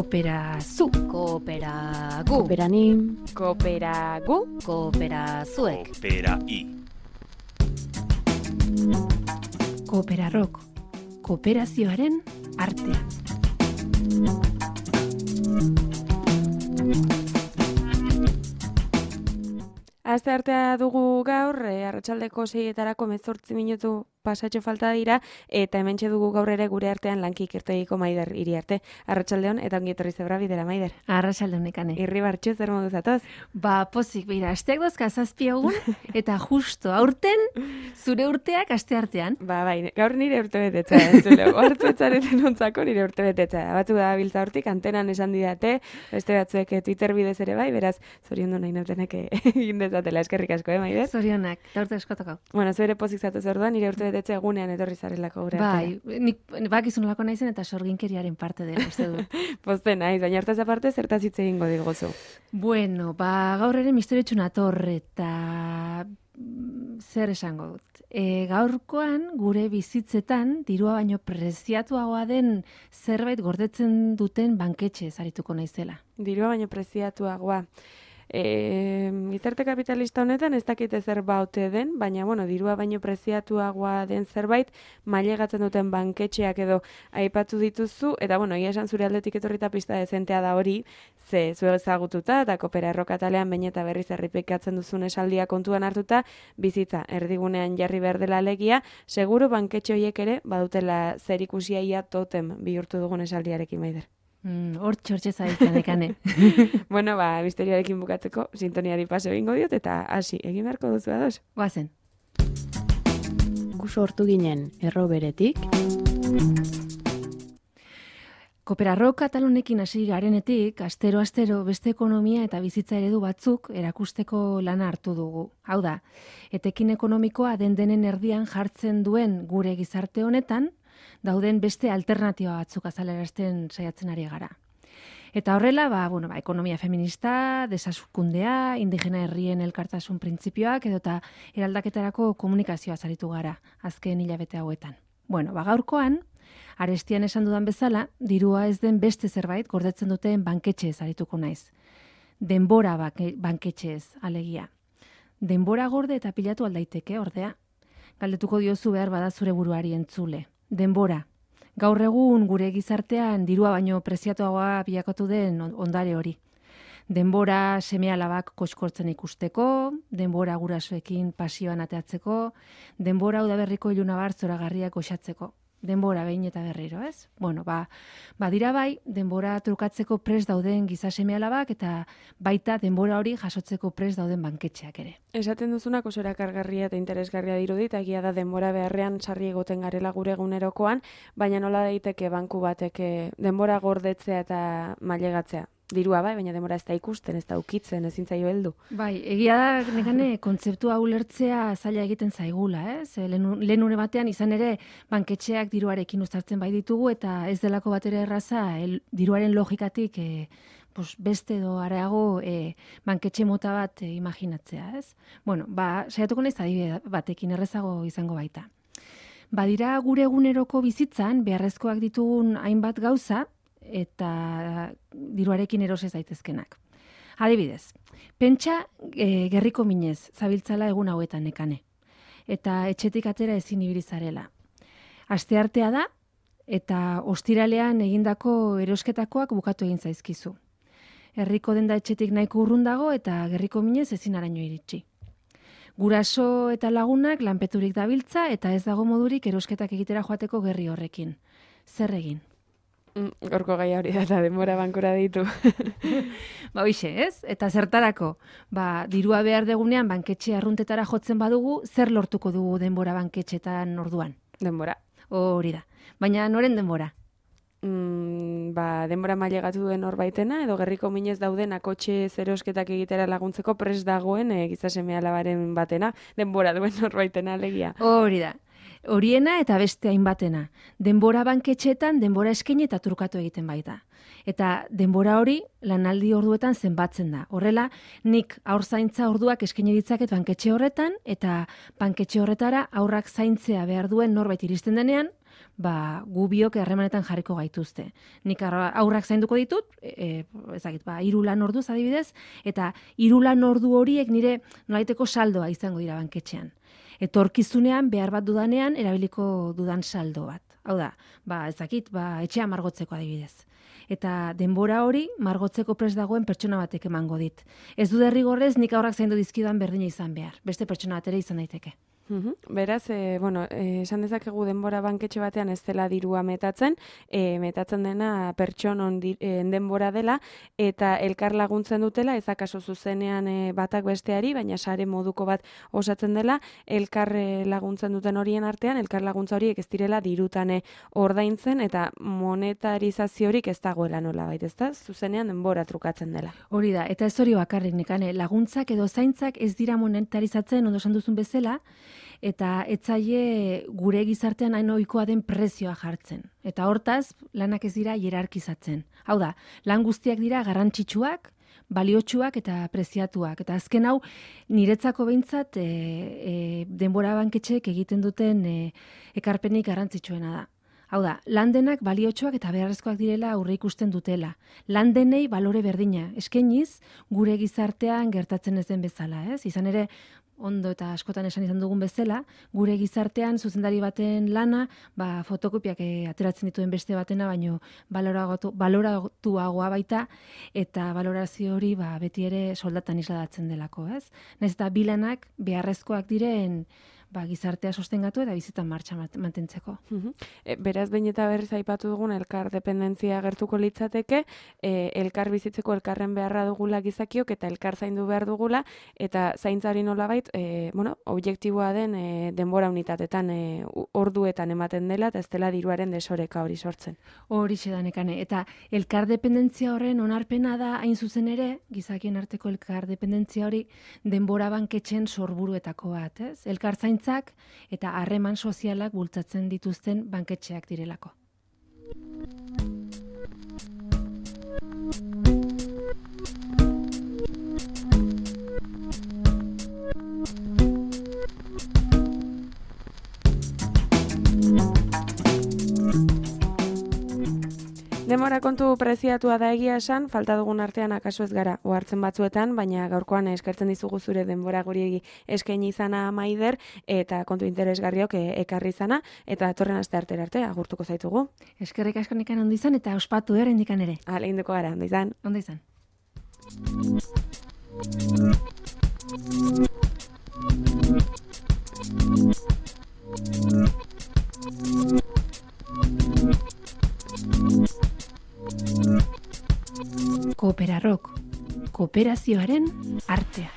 Kooperazu, kooperagu, Kooperanim, kooperagu, kooperazuek, Koopera-i. Kooperarrok, kooperazioaren artea. Aste artea dugu gaur, arratsaldeko 6etarako 18 minutu pasatxo falta dira, eta hementxe dugu gaur ere gure artean lankik irtegiko Maider Iriarte. Arratsaldeon eta ongi etorri zebra bidera, Maider. Arratsaldeon nekane. Irribartxu zer modu zatoz? Ba, pozik, beira, asteak dozka 7 egun, eta justo aurten, zure urteak aste artean. Ba, bai, gaur nire urte betetza, entzule, hartu etxareten ontzako nire urte betetza. Batzuk da biltza hortik, antenan esan didate, beste batzuek Twitter bidez ere bai, beraz, zoriondu nahi nautenek egin dezatela, eskerrik asko, Maider? Zorionak, da urte eskotoko. Bueno, zuere pozik zatoz orduan, nire urte betetze egunean etorri zarelako gure artera. Bai, nik bakizunolako naizen eta sorginkeriaren parte dela, uste du. Poste naiz, baina hartaz aparte zertaz hitz egingo digozu. Bueno, ba, gaur ere misteriotsu nator eta zer esango dut. Gaurkoan gure bizitzetan dirua baino preziatuagoa den zerbait gordetzen duten banketxe zarituko naizela. Dirua baino preziatuagoa. Gizarte kapitalista honetan ez dakite zer baute den, baina bueno, dirua baino preziatuagoa den zerbait mailegatzen duten banketxeak edo aipatu dituzu, eta bueno, ia esan zure aldetik etorrita pista dezentea da hori, ze zue ezagututa eta Kooperarrok atalean behin eta berriz errepikatzen duzun esaldia kontuan hartuta, bizitza erdigunean jarri behar dela alegia, seguru banketxe horiek ere badutela zerikusia ia totem bihurtu dugun esaldiarekin, Maider. Hor txortxe zabiltzan ekane. Bueno, ba, misterioarekin bukatzeko, sintoniari paso egingo diot, eta hasi, egin beharko duzu ados. Guazen. gu sortu ginen erro beretik. Kooperarrok atalonekin hasi garenetik, astero beste ekonomia eta bizitza eredu batzuk erakusteko lana hartu dugu. Hau da, etekin ekonomikoa denen erdian jartzen duen gure gizarte honetan, dauden beste alternatiba batzuk azalerazten saiatzen ari gara. Eta horrela, ekonomia feminista, desazkundea, indigena herrien elkartasun printzipioak edota eraldaketarako komunikazioa zaritu gara azken hilabete hauetan. Gaurkoan, arestian esan dudan bezala, dirua ez den beste zerbait gordetzen duten banketxe zarituko naiz. Denbora banketxez alegia. Denbora gorde eta pilatu aldaiteke, ordea. Galdetuko diozu behar bada zure buruari entzule. Denbora. Gaur egun gure gizartean dirua baino preziatuagoa bilakatu den ondare hori. Denbora seme-alabak koskortzen ikusteko, denbora gurasoekin pasioan ateatzeko, denbora udaberriko ilunabar zoragarriak goxatzeko. Denbora behin eta berriro, ez? Dira bai, denbora trukatzeko prest dauden giza seme-alabak eta baita denbora hori jasotzeko prest dauden banketxeak ere. Esaten duzunak oso erakargarria eta interesgarria dirudit, egia da denbora beharrean sarri egoten garela gure egunerokoan, baina nola daiteke banku batek denbora gordetzea eta mailegatzea. Dirua bai, baina denbora ez da ikusten, ez da ukitzen, ezin zaio heldu. Bai, egia da nekane kontzeptua ulertzea zaila egiten zaigula, ez? Lehen une batean izan ere banketxeak diruarekin uztartzen bai ditugu eta ez delako batera erraza diruaren logikatik beste edo areago banketxe mota bat imaginatzea, ez? Saiatuko naiz adibide batekin errezago izango baita. Badira gure eguneroko bizitzan beharrezkoak ditugun hainbat gauza eta diruarekin erosez daitezkenak. Adibidez, pentsa gerriko minez zabiltzala egun hauetan nekane. Eta etxetik atera ezin ibili zarela. Asteartea da eta ostiralean egindako erosketakoak bukatu egin zaizkizu. Herriko denda etxetik nahiko urrun dago eta gerriko minez ezin araino iritsi. Guraso eta lagunak lanpeturik dabiltza eta ez dago modurik erosketak egitera joateko gerri horrekin. Zer egin? Gorko gai hori da, denbora bankora ditu. Hoxe, ez? Eta zertarako? Dirua behar degunean banketxe arruntetara jotzen badugu, zer lortuko dugu denbora banketxetan orduan? Denbora. Hori da. Baina noren denbora? Denbora mailegatu duen horbaitena, edo gerriko minez dauden akotxe zerosketak egitera laguntzeko prest dagoen giza seme-alabaren batena, denbora duen horbaitena alegia. Hori da. Horiena eta beste hainbatena. Denbora banketxeetan denbora eskaini eta trukatu egiten baita. Eta denbora hori lanaldi orduetan zenbatzen da. Horrela, nik haur zaintza orduak eskaini ditzaket banketxe horretan eta banketxe horretara haurrak zaintzea behar duen norbait iristen denean, gu biok harremanetan jarriko gaituzte. Nik aurrak zainduko ditut, ezagik, 3 lan orduz adibidez, eta 3 lan ordu horiek nire nolaiteko saldoa izango dira banketxean. Etorkizunean behar bat dudanean erabiliko dudan saldo bat. Hau da, ezakit, etxea margotzeko adibidez. Eta denbora hori margotzeko prest dagoen pertsona batek emango dit. Ez du derrigorrez nik aurrak zaindu dizkidan berdina izan behar. Beste pertsona bat ere izan daiteke. Beraz, esan dezakegu denbora banketxe batean ez dela dirua metatzen, metatzen dena pertsonon denbora dela, eta elkar laguntzen dutela, ez akaso zuzenean batak besteari, baina sare moduko bat osatzen dela, elkar laguntzen duten horien artean, elkar laguntza horiek ez direla dirutan ordaintzen, eta monetarizaziorik ez dagoela nolabait, ez da? Zuzenean denbora trukatzen dela. Hori da, eta ez hori bakarrik nekane, laguntzak edo zaintzak ez dira monetarizatzen, ondo esan duzun bezala, eta etzaile gure gizartean hain ohikoa den prezioa jartzen. Eta hortaz, lanak ez dira hierarkizatzen. Hau da, lan guztiak dira garrantzitsuak, baliotsuak eta preziatuak. Eta azken hau, niretzako behintzat denbora banketxeek egiten duten ekarpenik garrantzitsuena da. Hau da, lan denak baliotsuak eta beharrezkoak direla aurre ikusten dutela. Lan denei balore berdina, eskainiz gure gizartean gertatzen ez den bezala, ez? Izan ere, ondo eta askotan esan izan dugun bezala, gure gizartean zuzendari baten lana, fotokopiak ateratzen dituen beste batena, baino baloratuagoa baita, eta balorazio hori beti ere soldatan isladatzen delako, ez? Nahiz eta bilanak beharrezkoak diren gizartea sostengatu eta bizitan martxa mantentzeko. Beraz, behin eta berriz aipatu dugun elkar dependentzia gertuko litzateke, elkar bizitzeko elkarren beharra dugula gizakiok eta elkar zaindu behar dugula, eta zaintzari nolabait, objektiboa den denbora unitatetan, orduetan ematen dela, eta ez dela diruaren desoreka hori sortzen. Horixe da nekane, eta elkar dependentzia horren onarpena da hain zuzen ere, gizakien arteko elkar dependentzia hori denbora banketxen sorburuetako bat, ez? Elkar zaintzak eta harreman sozialak bultzatzen dituzten banketxeak direlako. Denbora kontu preziatua da egia esan, falta dugun artean akaso ez gara ohartzen batzuetan, baina gaurkoan eskertzen dizugu zure denbora guri eskaini izana Maider, eta kontu interesgarriok ekarri izana, eta etorren aste arte agurtuko zaitugu. Eskerrik asko nikan ondo izan eta ospatu indikan ere. Hala, induko gara, ondo izan. Ondo izan. Koopera Rock, kooperazioaren artea.